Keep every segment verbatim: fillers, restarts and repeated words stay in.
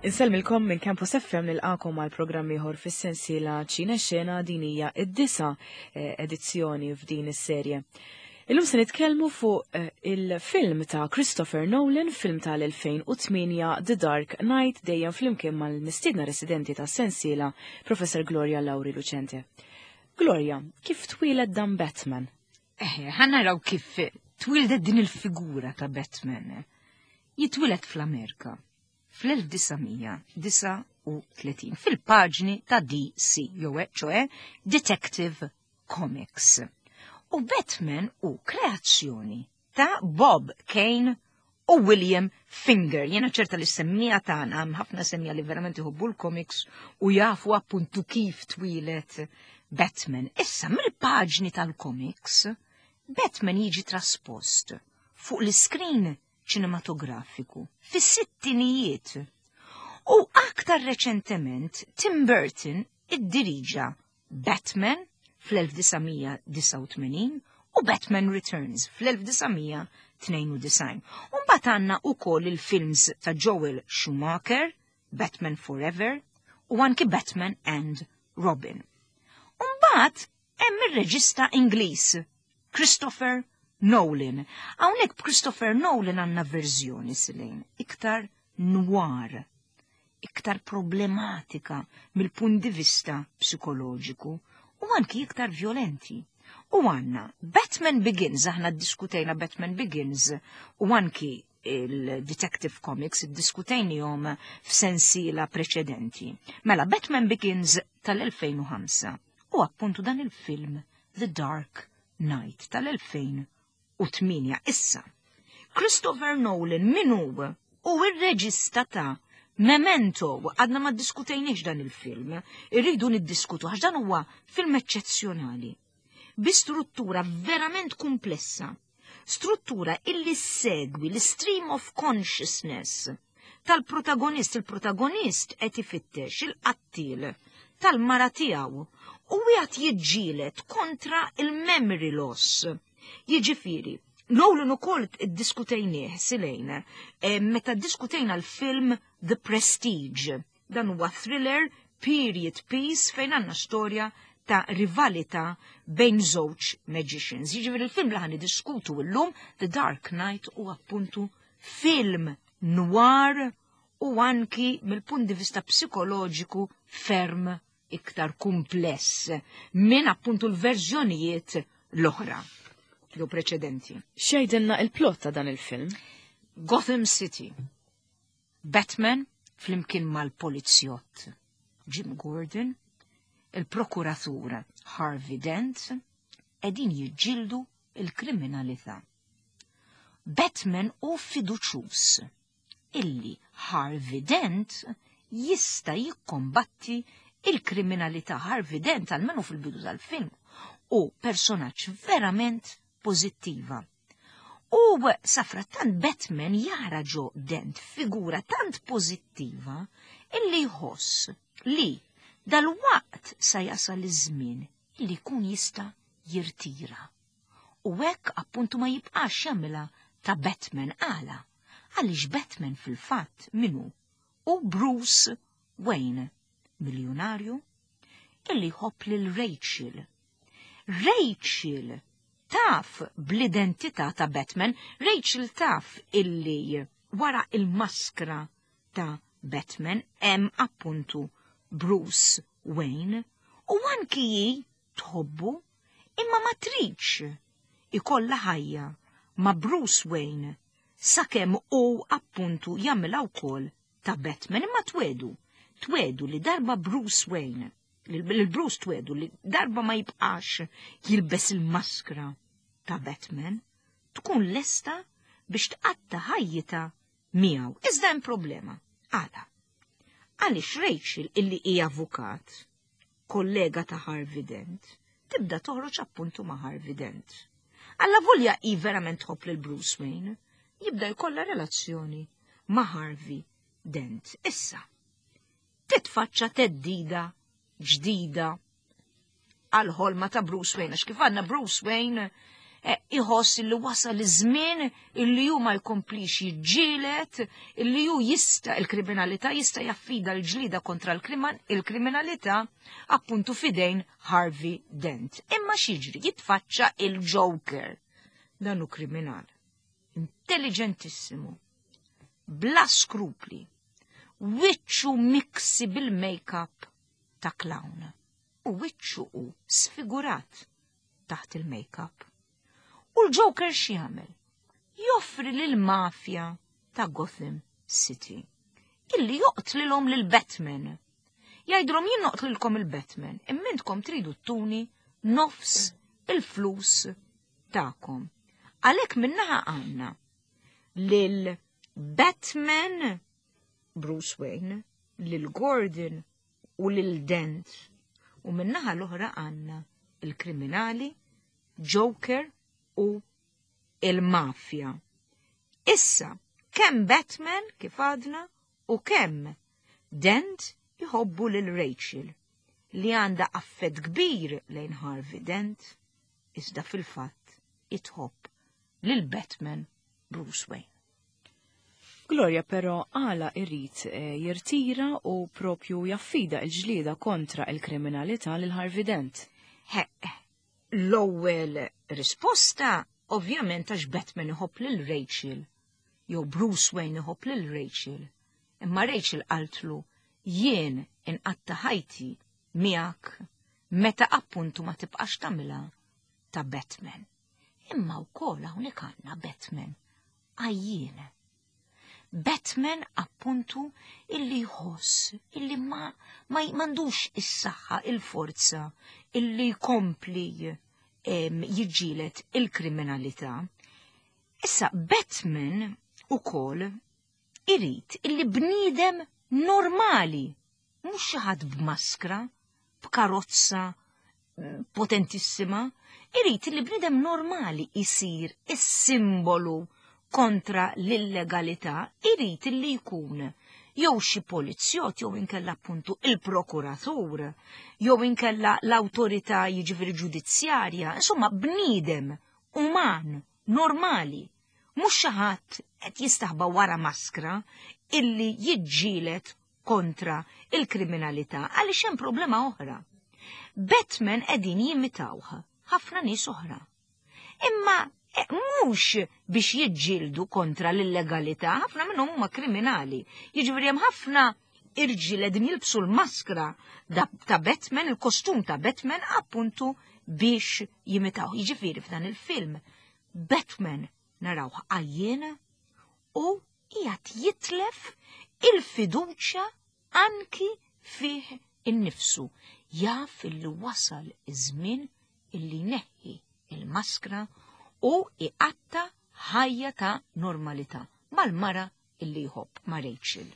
Insellmilkom minn Campus F M, nilqagħkom għal programm ieħor fis-sensiela Ċine Xena. Din hija id-disa eh, edizzjoni f'din is-serje. Illum se nitkellmu fuq eh, il-film ta' Christopher Nolan, film tal-elfejn u tmienja, The Dark Knight, dejjem flimkien mal-mistiedna residenti ta' sensiela, Professor Gloria Lauri Lucente. Gloria, kif twieled dan Batman? Eh, ħa naraw kif twildet din il-figura ta' Batman. Jitwieled fl-Amerika fl-elf disa' mija disgħa u tletin fil-paġni ta' D C, jew ċoè Detective Comics. U Batman hu kreazzjoni ta' Bob Kane u William Finger. Jena ċerta li semmiegħa tagħna, hemm ħafna semmiegħa li verament iħobbu l-comics u jafu appuntu kif twieled Batman. Issa mill-paġni tal-comics, Batman jiġi traspost fuq l-screen ċinematografiku fis-sittinijiet. U aktar reċentement Tim Burton iddiriġa Batman fl-elf disa' mija disgħa u tmenin u Batman Returns fl-elf disa' mija tnejn u disgħin. Umbagħad għandna ukoll il-films ta' Joel Schumacher, Batman Forever u anki Batman and Robin. Umbagħad hemm ir-reġista Ingliż Christopher Nolan. Hawnhekk b'Christopher Nolan għandna verżjoni silejn iktar noir, iktar problematika mill-punt di vista psikoloġiku u anki iktar violenti. U għandna Batman Begins, aħna diskutejna Batman Begins u anki il-Detective Comics iddiskutejnihom f'sensiela preċedenti. Mela, Batman Begins tal-elfejn u ħamsa u appuntu dan il-film The Dark Knight tal-elfejn u tmienja. Issa, Christopher Nolan min hu? Hu ir-reġista ta' Memento. Għadna ma diskutejniex dan il-film, irridu niddiskutu għax dan huwa film eċċezzjonali. Bi struttura verament komplessa, struttura illi segwi l-stream of consciousness tal-protagonist. Il-protagonist qed ifittex il-qattil tal-mara tiegħu u qiegħed jiġġieled kontra il-memory loss. Jiġifieri, Nolan ukoll iddiskutejnieh silejn, eh, meta diskutejna l-film The Prestige. Dan huwa thriller, period piece, fejn għandna storja ta' rivalità bejn żewġ magicians. Jiġifieri il-film li ħa niddiskutu llum, The Dark Knight, u appuntu film noir u anki mill-punt di vista psikoloġiku ferm iktar kumpless minn appuntu l-verżjonijiet l-oħra jew preċedenti. X'jgħidilna il-plot ta' dan il-film? Gotham City. Batman flimkien mal-polizjott Jim Gordon, il-prokuratur Harvey Dent, qegħdin jiġġieldu il-kriminalità. Batman hu fiduċjuż illi Harvey Dent jista' jikkombatti il-kriminalità. Harvey Dent, almenu fil-bidu tal-film, hu personaġġ verament pożittiva. U safrattant Batman jara ġo Dent figura tant pożittiva illi jħoss li dal-waqt sa jasal iż-żmien illi jkun jista' jirtira. U hekk appuntu ma jibqax jagħmilha ta' Batman. Għala? Għaliex Batman fil-fatt min hu? Hu Bruce Wayne, miljonarju, illi jħobb lil Rachel. Rachel taf bl-identità ta' Batman, Rachel taf illi wara il-maskra ta' Batman hemm appuntu Bruce Wayne u anki hi tħobbu, imma ma tridx ikolla ħajja ma' Bruce Wayne sakemm hu appuntu jagħmilha wkoll ta' Batman, imma twiegħdu twiegħdu li darba Bruce Wayne, lil Bruce twiegħdu li darba ma jibqax jilbes il-maskra ta' Batman, tkun lesta biex tqatta ħajjita miegħu. Iżda hemm problema. Għala? Għaliex Rachel, illi hija avukat, kollega ta' Harvey Dent, tibda toħroġ appuntu ma' Harvey Dent. Allavolja hi verament tħobb lil Bruce Wayne, jibda jkollha relazzjoni ma' Harvey Dent. Issa, titfaċċa theddida ġdida għal-ħolma ta' Bruce Wayne, għax kif għandna Bruce Wayne iħoss illi wasal iż-żmien illi hu ma jkomplix jiġġieled, illi hu jista' il-kriminalità jista' jaffida l-ġlida kontra l-kriminalità appuntu fidejn Harvey Dent. Imma x'jiġri? Jitfaċċa il-Joker. Dan hu kriminal. Intelligentissimu. Bla skrupli. Wiċċu miksi bil-make-up ta' clown. U wiċċu hu sfigurat taħt il-make-up. U l-Joker x'jagħmel? Joffri lil-mafja ta' Gotham City illi joqtlilhom lil Batman. Jgħidulhom jien noqtlilkom il-Batman, imma intkom tridu ttuni nofs il-flus tagħkom. Għalhekk min-naħa għandna lil Batman Bruce Wayne, lil Gordon u lil Dent. U min-naħa l-oħra għandna il-kriminali Joker u il-mafja. Issa, kemm Batman kif għadna u kemm Dent jħobbu lil Rachel li għandha affett kbir lejn Harvey Dent, iżda fil-fatt itħobb lil Batman Bruce Wayne. Gloria però għala irrid eh, jirtira u propju jaffida il-ġlida kontra il-kriminalità lil Harvey Dent. He, l-ewwel risposta ovvjament għax Batman iħobb lil Rachel, jew Bruce Wayne iħobb lil Rachel. Imma Rachel qaltlu jien inqatta ħajti miegħek meta appuntu ma tibqax tagħmilha ta' Batman. Imma wkoll hawnhekk għandna Batman għajjien. Batman appuntu illi jħoss illi ma ma m'għandux is-saħħa, il-forza illi jkompli jiġġieled il-kriminalità. Issa Batman ukoll irid illi bniedem normali, mhux xi ħadd b'maskra, b'karozza potentissima, irid illi bniedem normali isir is-simbolu kontra l-illegalità, irid illi jkun jew xi polizzjott jew inkella appuntu il-prokuratur, jew inkella l-awtorità jiġifieri ġudizzjarja, insomma bniedem uman, normali, mhux xi ħadd qed jistaħba wara maskra illi jiġġieled kontra il-kriminalità għaliex hemm problema oħra. Batman qegħdin jimitawh ħafna nies oħra. Imma mhux biex jiġġieldu kontra l-illegalità, ħafna minnhom huma kriminali. Jiġifieri hemm ħafna irġiel qegħdin jilbsu l-maskra ta' Batman, il-kostum ta' Batman appuntu biex jimitaw. Jiġifieri f'dan il-film Batman narawh għajjien u qiegħed jitlef il-fiduċja anki fih innifsu. Jaf illi wasal iż-żmien illi neħħi il-maskra u iqatta ħajja ta' normalità mal-mara illi jħobb ma' Rachel.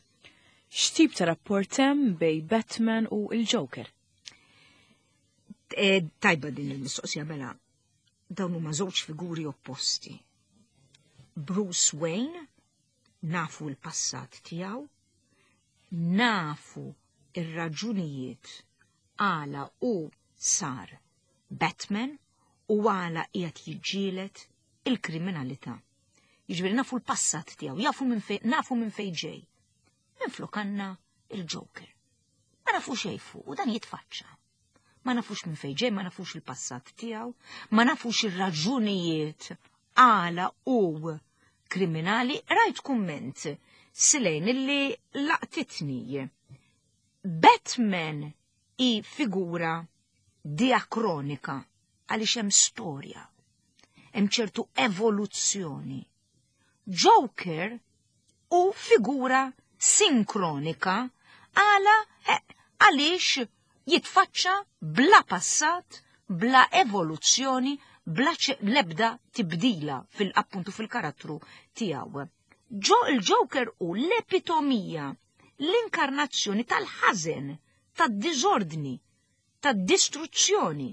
X'tip ta' rapport hemm bej Batman u il-Joker? E, tajba din il-mistoqsija mela. Dawn huma żewġ figuri opposti. Bruce Wayne, nafu l-passat tiegħu, nafu ir-raġunijiet għala u sar Batman u għala qiegħed jiġġieled il-kriminalità. Jiġifieri nafu l-passat tiegħu, jafu minn fej, nafu minn fejn ġej. Minflok għandna il-Joker. Ma nafux xejn fuq u dan jitfaċċa. Ma nafux minn fejn ġej, ma nafux il-passat tiegħu, ma nafux ir-raġunijiet għala u kriminali. Rajt kumment silejn illi laqtitni. Batman i figura diakronika għaliex hemm storja, hemm ċertu evoluzzjoni. Joker u figura sinkronika għala għaliex jitfaċċa bla passat, bla evoluzzjoni, bla lebda tibdila fil-appuntu fil-karattru tiegħu. Ġo il-Joker u l-epitomija, l-inkarnazzjoni tal-ħażen, tad-diżordni, tad-distruzzjoni,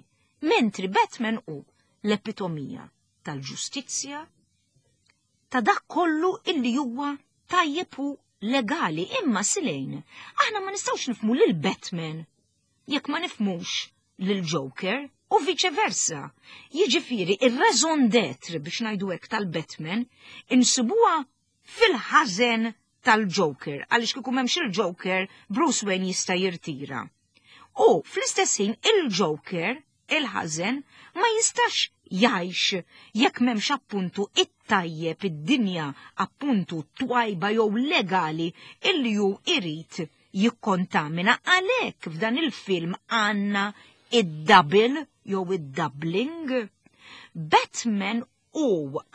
mentri Batman u l-epitomija tal-ġustizzja, ta' dak kollu illi huwa tajjeb u legali. Imma silejn, aħna ma nistgħux nifhmu lil Batman jekk ma nifhmux lil Joker, u U vice versa. Jiġifieri ir-raison d'être biex ngħidu hekk tal-Batman insibuha fil-ħażen tal-Joker, għaliex kieku m'hemmx il-Joker, Bruce Wayne jista' jirtira. U fl-istess ħin il-Joker, il-ħażen, ma jistax jgħix jekk m'hemmx appuntu it-tajjeb id-dinja appuntu twajba jew legali illi hu irid jikkontamina. Għalhekk f'dan il-film għandna id-double jew id-doubling. Batman u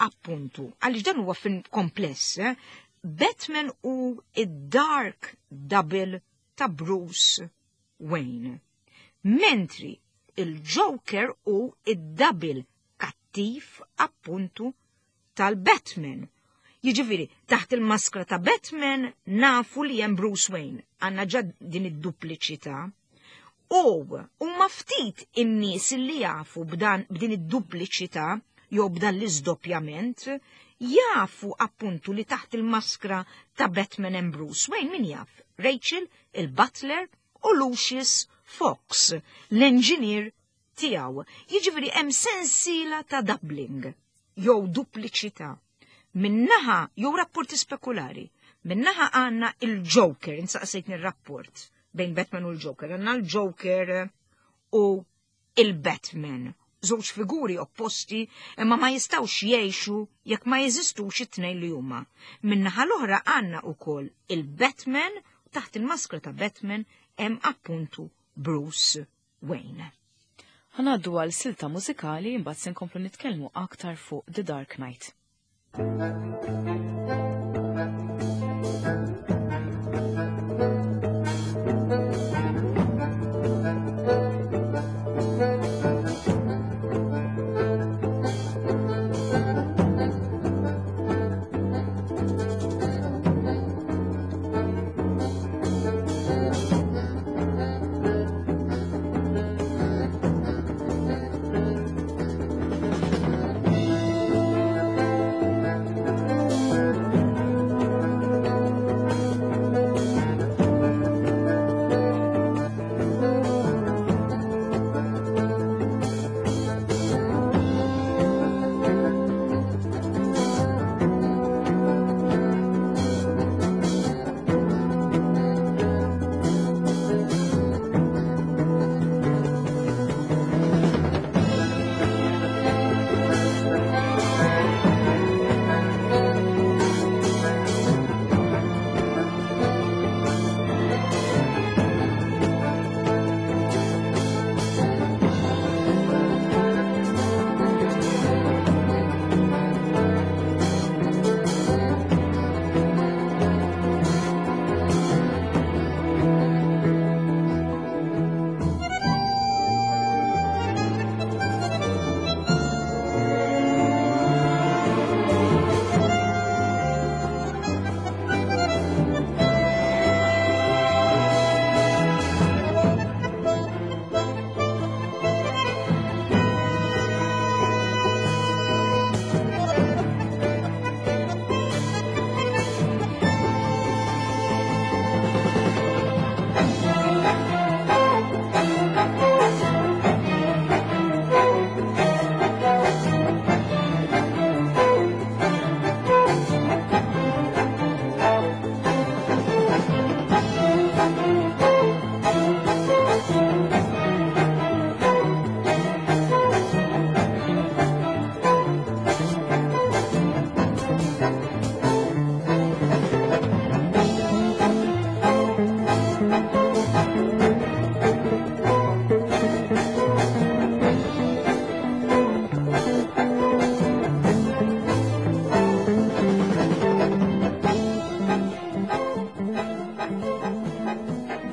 appuntu, għaliex dan huwa film kompless, eh? Batman u id-dark double ta' Bruce Wayne. Mentri il-Joker u id-double kattiv appuntu tal-Batman. Jiġifieri, taħt il-maskra ta' Batman nafu li hemm Bruce Wayne, għandna ġa din id-dupliċità. U huma ftit in-nies li jafu b'dan b'din id-dupliċità jew b'dan l-iżdoppjament, jafu appuntu li taħt il-maskra ta' Batman and Bruce Wayne min jaf? Rachel, il-Butler u Lucius Fox, l-engineer tiegħu. Jiġifieri hemm sensiela ta' doubling jew dupliċità. Minnaħa jew rapporti spekulari. Minnaħa għandna il-Joker, insaqsejtni r-rapport bejn Batman u l-Joker. Għandna l-Joker u il-Batman. Żewġ figuri opposti imma ma jistawx jgħixu jekk ma jeżistux it-tnejn li huma. Minnaħa l-oħra għandna wkoll il-Batman, taħt il-maskra ta' Batman hemm appuntu Bruce Wayne. Ħanaddu għal silta mużikali imbagħad se nkomplu nitkellmu aktar fuq The Dark Knight.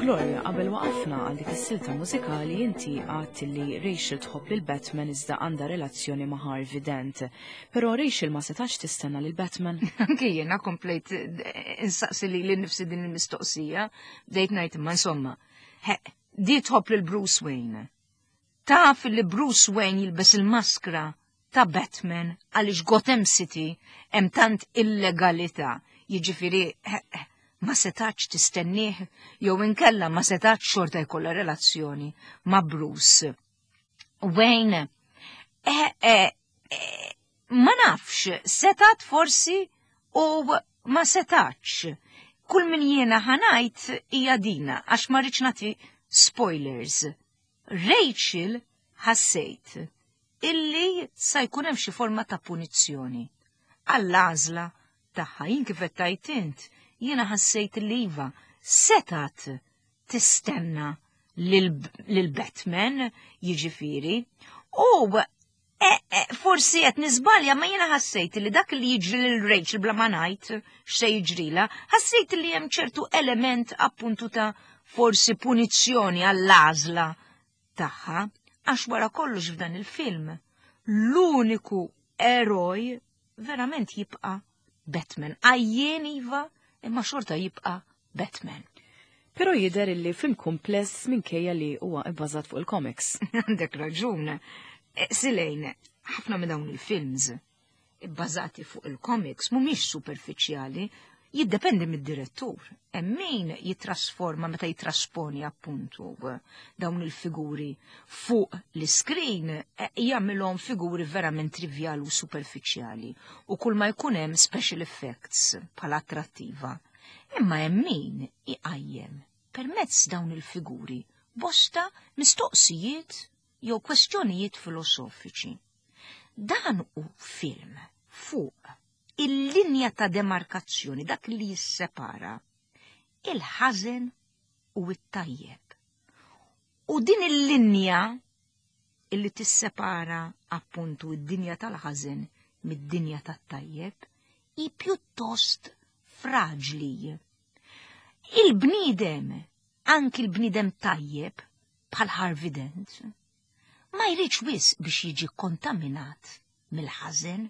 Gloria, qabel waqafna għal dik is-silta mużikali inti għadt li Rachel tħobb lil Batman iżda għandha relazzjoni ma' Harvey Dent. Però Rachel ma setax tistenna lil Batman. Anke jiena komplejt insaqsi li lili nnifsi din il-mistoqsija, bdejt ngħid imma insomma, di tħobb lil Bruce Wayne. Taf li Bruce Wayne jilbes il-maskra ta' Batman għaliex Gotham City hemm tant illegalità. Jiġifieri ma setax tistennieh jew inkella ma setax xorta jkollha relazzjoni ma' Bruce Wayne, eh, eh, eh, ma nafx, setat forsi u ma setax. Kull min jiena ħa ngħid hija dina, għax ma rridx nagħti spoilers. Rachel ħassejt illi sa jkun hemm xi forma ta' punizzjoni. Għall-għażla tagħha jien kif qed tgħid int, jiena ħassejt li iva setat tistenna lil Batman jiġifieri u e, e, forsi qed niżbalja ma jiena ħassejt li dak li jiġri lil Rachel bla ma ngħid x'se jiġrila, ħassejt li hemm ċertu element appuntu ta' forsi punizzjoni għall-għażla tagħha għax wara kollox f'dan il-film l-uniku eroj verament jibqa' Batman. Għajjien iva, imma xorta jibqa' Batman. Pero jidher illi film kumpless minkejja li huwa bbażat fuq il-comics. Għandek raġun. E, Silejn, ħafna minn dawn il-films bbażati fuq il-comics mhumiex superfiċjali, jiddependi mid-direttur. Hemm min jitrasforma meta jitrasponi appuntu dawn il-figuri fuq l-iskrin e, jagħmilhom figuri verament trivjali u superfiċjali u kull ma jkun hemm special effects bħala attrattiva. Imma hemm min iqajjem permezz dawn il-figuri bosta mistoqsijiet jew kwestjonijiet filosofiċi. Dan hu film fuq il-linja ta' demarkazzjoni, dak li jissepara il-ħażen u it-tajjeb. U din il-linja illi tissepara appuntu id-dinja tal-ħażen mid-dinja tat-tajjeb hi pjuttost fraġli. Il-bniedem, anki l-bniedem tajjeb, bħal Harvey Dent, ma jridx wisq biex jiġi kontaminat mill-ħażen,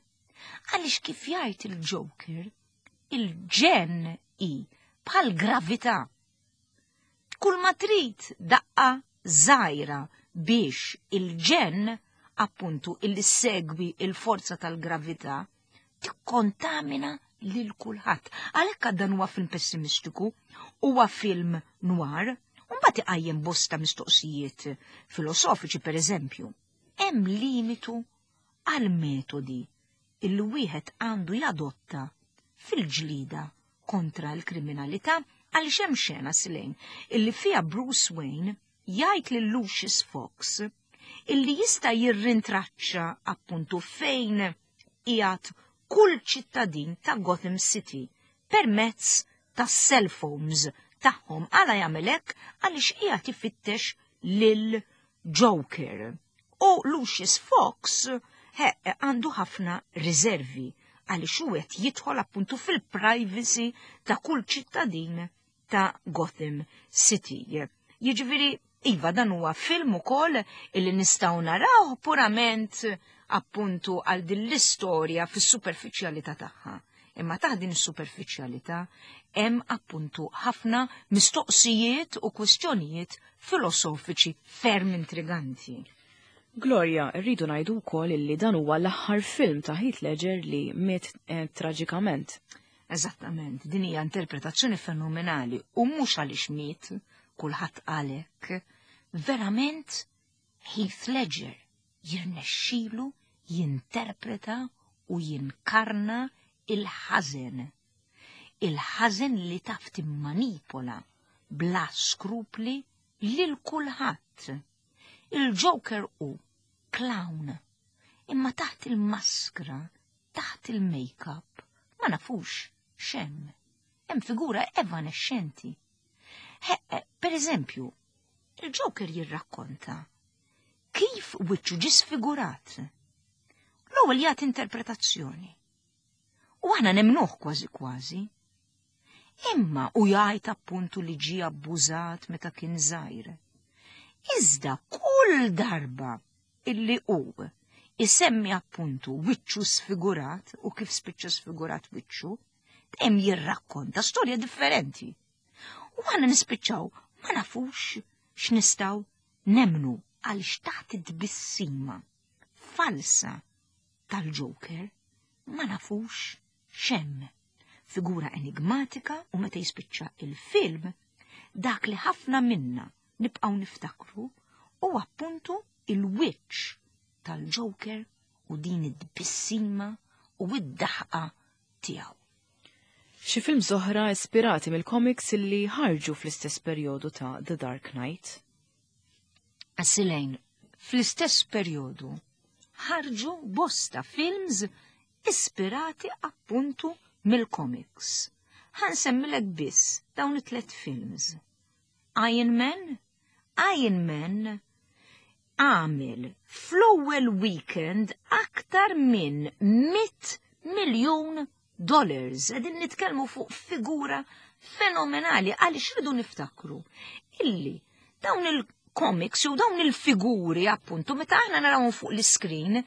għaliex kif jgħid il-Joker, il-ġenn hi bħal gravità. Kull ma trid daqqa żgħira biex il-ġenn appuntu illi segwi il-forza tal-gravità tikkontamina lil kulħadd. Għalhekk dan huwa film pessimistiku, huwa film noir, u mbagħad iqajjem bosta mistoqsijiet filosofiċi per eżempju. Hemm limitu għal metodi illi wieħed għandu jadotta fil-ġlida kontra l-kriminalità għaliex hemm xena Silejn illi fiha Bruce Wayne jgħid lil Lucius Fox illi jista' jirrintraċċa appuntu fejn qiegħed kull ċittadin ta' Gotham City permezz ta' cell phones tagħhom għala jagħmel hekk għaliex qiegħed ifittex lil Joker. U Lucius Fox he, għandu ħafna riservi għaliex hu qed jidħol appuntu fil-privacy ta' kull ċittadin ta' Gotham City. Jiġifieri, iva dan huwa film ukoll illi nistgħu naraw purament appuntu għal din l-istorja fis-superfiċjalità tagħha. Imma taħt din is-superfiċjalità hemm appuntu ħafna mistoqsijiet u kwistjonijiet filosofiċi ferm intriganti. Gloria, rridu ngħidu wkoll illi dan huwa l-aħħar film ta' Heath Ledger li miet eh, traġikament. Eżattament, din hija interpretazzjoni fenomenali u mhux għaliex miet kulħadd għalhekk. Verament Heath Ledger jirnexxilu jinterpreta u jinkarna il-ħażen. Il-ħażen li taf timmanipola bla skrupli lil kulħadd. Il-Joker hu clown, imma taħt il-maskra, taħt il-make-up, ma nafux x'hemm. Hemm figura evanexxenti. Per eżempju, il-Joker jirrakkonta kif wiċċu ġie sfigurat. L-ewwel jagħti interpretazzjoni. U aħna nemnuh kważi kważi. Imma u jgħid appuntu li ġie abbużat meta kien żgħir. Iżda kull darba illi hu isemmi appuntu wiċċu sfigurat u kif spiċċa sfigurat wiċċu, dejjem jirrakkonta storja differenti. U aħna nispiċċaw ma nafux x'nistgħu nemnu għaliex taħt id-tbissima falsa tal-Joker ma nafux x'hemm. Figura enigmatika u meta jispiċċa il-film dak li ħafna minna nibqgħu niftakru u appuntu il-wiċċ tal-Joker u din id-tbissima u id-daħqa tiegħu. Xi films oħra ispirati mill-comics illi ħarġu fl-istess perjodu ta' The Dark Knight? Silejn, fl-istess perjodu ħarġu bosta films ispirati appuntu mill-comics. Ħa nsemmilek biss dawn it-tlet films. Iron Man, Iron Man għamel fl-ewwel weekend aktar minn mitt miljun dollars. Qegħdin nitkellmu fuq figura fenomenali, għaliex rridu niftakru illi dawn il-comics u dawn il-figuri, appuntu, meta aħna narawhom fuq l-screen,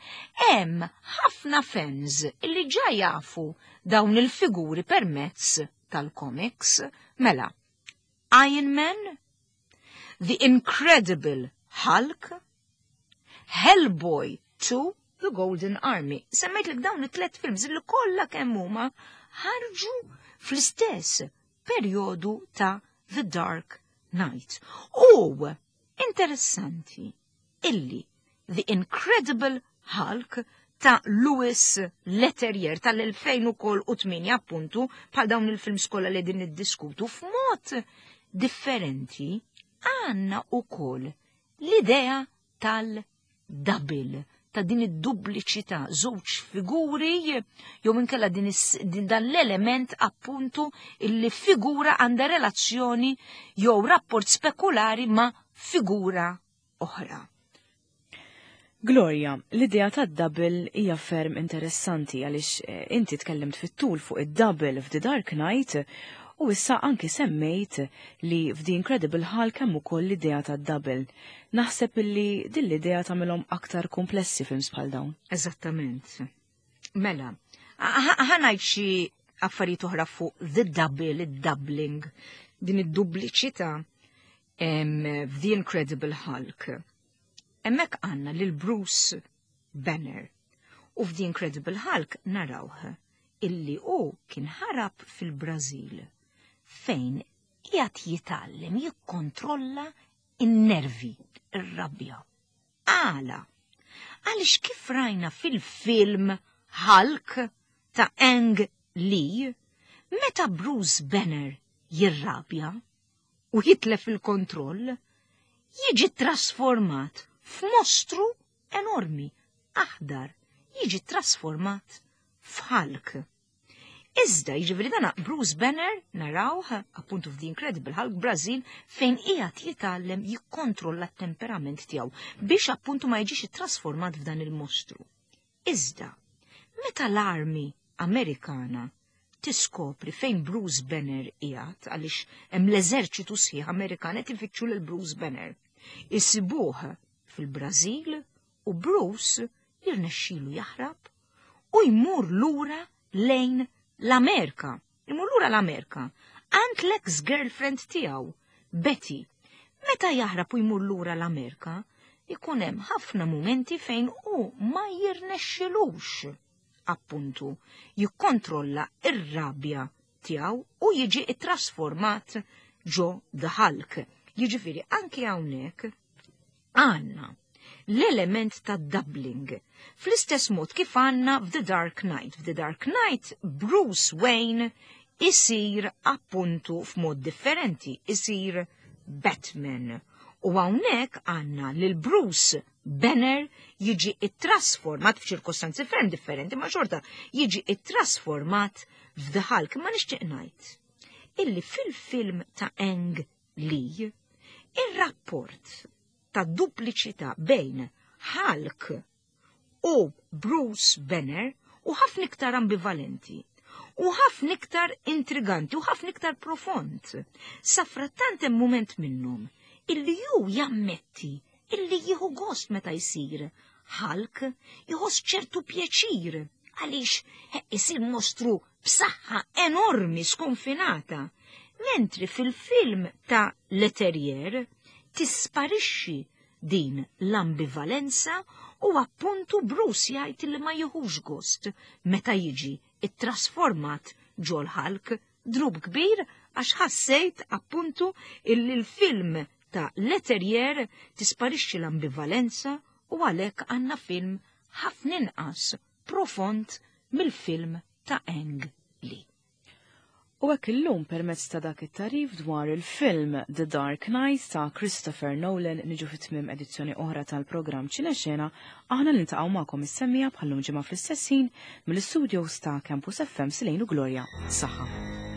hemm ħafna fans illi ġa jafu dawn il-figuri permezz tal-comics. Mela, Iron Man, The Incredible Hulk, Hellboy two, The Golden Army. Semmejtlek dawn it-tlet films li kollha kemm huma ħarġu fl-istess perjodu ta' The Dark Knight. U interessanti illi The Incredible Hulk ta' Louis Leterrier tal-elfejn u tmienja, appuntu bħal dawn il-films kollha li din niddiskutu, f'mod differenti għandna ukoll l-idea tal-double, ta' din id-dupliċità, żewġ figuri, jew inkella din, din dan l-element appuntu illi figura għandha relazzjoni jew rapport spekulari ma' figura oħra. Gloria, l-idea ta' double hija ferm interessanti għaliex eh, inti tkellimt fit-tul fuq id-double f'The Dark Knight u issa anki semmejt li f'The Incredible Hulk hemm ukoll l-idea ta' double. Naħseb illi din l-idea tagħmilhom aktar komplessi films bħal dawn. Eżattament. Mela, ħa ngħid xi affarijiet oħra fuq the double, id-doubling, din id-dupliċità f'The Incredible Hulk. Hemmhekk għandna lil Bruce Banner u f'The Incredible Hulk narawh illi hu kien ħarab fil-Brażil fejn qiegħed jitgħallem jikkontrolla in-nervi, ir-rabja. Għala? Għaliex kif rajna fil-film Hulk ta' Ang Lee, meta Bruce Banner jirrabja u jitlef il-kontroll, jiġi trasformat f'mostru enormi, aħdar, jiġi trasformat f'Hulk. Iżda, jiġifieri dana Bruce Banner narawh appuntu f'The Incredible Hulk Brazil fejn qiegħed jitgħallem jikkontrolla t-temperament tiegħu biex appuntu ma jiġix trasformat f'dan il-mostru. Iżda, meta l-army Amerikana tiskopri fejn Bruce Banner qiegħed, għaliex hemm l-eżerċitu sħiħ Amerikan qed ifittxu lil Bruce Banner, isibuh fil-Brażil u Bruce jirnexxilu jaħrab u jmur lura lejn l-Amerika. Imur lura l-Amerika għand l-ex-girlfriend tiegħu, Betty. Meta jaħrab u jmur lura l-Amerika, ikun hemm ħafna mumenti fejn hu ma jirnexxilux appuntu jikkontrolla ir-rabja tiegħu u jiġi trasformat ġo The Hulk. Jiġifieri anki hawnhekk għandna l-element ta' doubling. Fl-istess mod kif għandna f'The Dark Knight. F'The Dark Knight, Bruce Wayne isir appuntu f'mod differenti, isir Batman. U hawnhekk għandna lil Bruce Banner jiġi ittrasformat f'ċirkostanzi ferm differenti, ma xorta jiġi ittrasformat f'The Hulk. Ma nixtieq ngħid illi fil-film ta' Ang Lee, ir-rapport ta' dupliċità bejn Hulk u Bruce Banner hu ħafna iktar ambivalenti u ħafna iktar intriganti u ħafna iktar profond. Safrattant hemm moment minnhom illi ju jammetti illi jieħu gost meta jsir Hulk, jħoss ċertu pjaċir għaliex isir mostru b'saħħa enormi skonfinata. Mentri fil-film ta' Leterrier tisparixxi din l-ambivalenza u appuntu Bruce jgħid li ma jieħux gost meta jiġi ittrasformat ġol Hulk. Dnub kbir, għax ħassejt appuntu illi l-film ta' Leterrier tisparixxi l-ambivalenza. U għalhekk għandna film ħafna inqas profond mill-film ta' Ang Lee. U hekk illum permezz ta' dak it-tagħrif dwar il-film The Dark Knight ta' Christopher Nolan niġu fit-tmiem edizzjoni oħra tal-programm Ċinexena. Aħna niltaqgħu magħkom is-semmiegħa bħal-lum ġimgħa fl-istess ħin mill-istudios ta' Campus F M Silejnu Gloria. Saħħa.